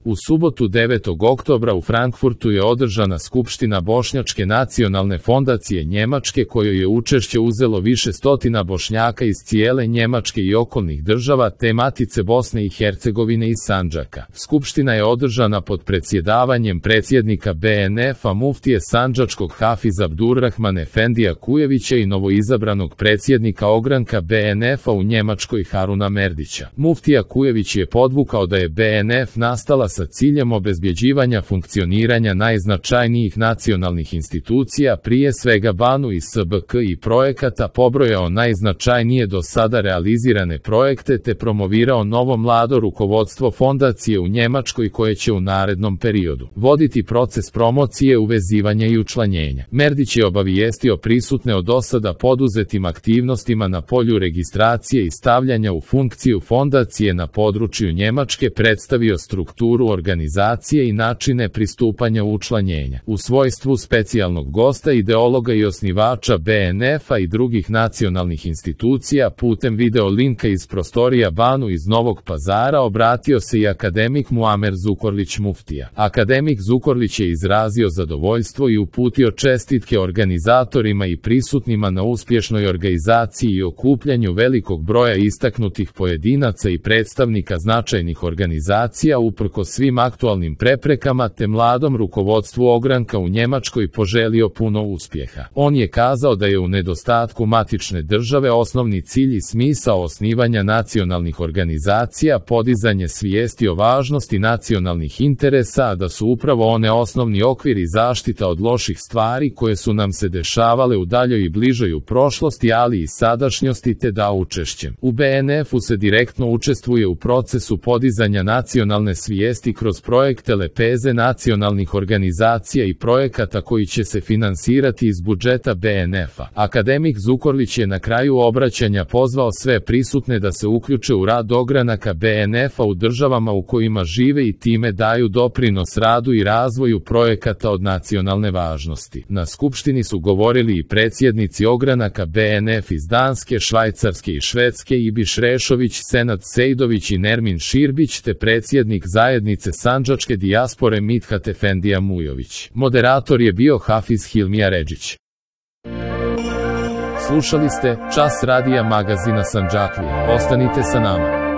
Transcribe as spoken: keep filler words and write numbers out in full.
U subotu devetog oktobra u Frankfurtu je održana Skupština Bošnjačke nacionalne fondacije Njemačke kojoj je učešće uzelo više stotina Bošnjaka iz cijele Njemačke i okolnih država te Matice Bosne i Hercegovine i Sandžaka. Skupština je održana pod predsjedavanjem predsjednika B N F-a muftije Sandžačkog Hafiza Abdurrahman Efendija Kujevića i novoizabranog predsjednika ogranka B N F-a u Njemačkoj Haruna Merdića. Muftija Kujević je podvukao da je B N F nastala sa ciljem obezbjeđivanja funkcioniranja najznačajnijih nacionalnih institucija, prije svega BANU i S B K i projekata, pobrojao najznačajnije do sada realizirane projekte te promovirao novo mlado rukovodstvo fondacije u Njemačkoj koje će u narednom periodu voditi proces promocije, uvezivanja i učlanjenja. Merdić je obavijestio prisutne o dosada poduzetim aktivnostima na polju registracije i stavljanja u funkciju fondacije na području Njemačke, predstavio strukturu organizacije i načine pristupanja učlanjenja. U svojstvu specijalnog gosta, ideologa i osnivača B N F-a i drugih nacionalnih institucija, putem video linka iz prostorija BANU iz Novog Pazara obratio se i akademik Muamer Zukorlić muftija. Akademik Zukorlić je izrazio zadovoljstvo i uputio čestitke organizatorima i prisutnima na uspješnoj organizaciji i okupljanju velikog broja istaknutih pojedinaca i predstavnika značajnih organizacija uprkos svim aktualnim preprekama, te mladom rukovodstvu ogranka u Njemačkoj poželio puno uspjeha. On je kazao da je u nedostatku matične države osnovni cilj i smisao osnivanja nacionalnih organizacija podizanje svijesti o važnosti nacionalnih interesa, a da su upravo one osnovni okvir i zaštita od loših stvari koje su nam se dešavale u daljoj i bližoj u prošlosti, ali i sadašnjosti, te da učešćem u B N F-u se direktno učestvuje u procesu podizanja nacionalne svijesti kroz projekte lepeze nacionalnih organizacija i projekata koji će se finansirati iz budžeta B N F-a. Akademik Zukorlić je na kraju obraćanja pozvao sve prisutne da se uključe u rad ogranaka B N F-a u državama u kojima žive i time daju doprinos radu i razvoju projekata od nacionalne važnosti. Na skupštini su govorili i predsjednici ogranaka B N F iz Danske, Švajcarske i Švedske Ibiš Rešović, Senad Sejdović i Nermin Širbić, te predsjednik zajednice Sandžačke dijaspore Mithat Efendija Mujović. Moderator je bio Hafiz Hilmija Redžić. Slušali ste Čas radija magazina Sandžaklija. Ostanite sa nama.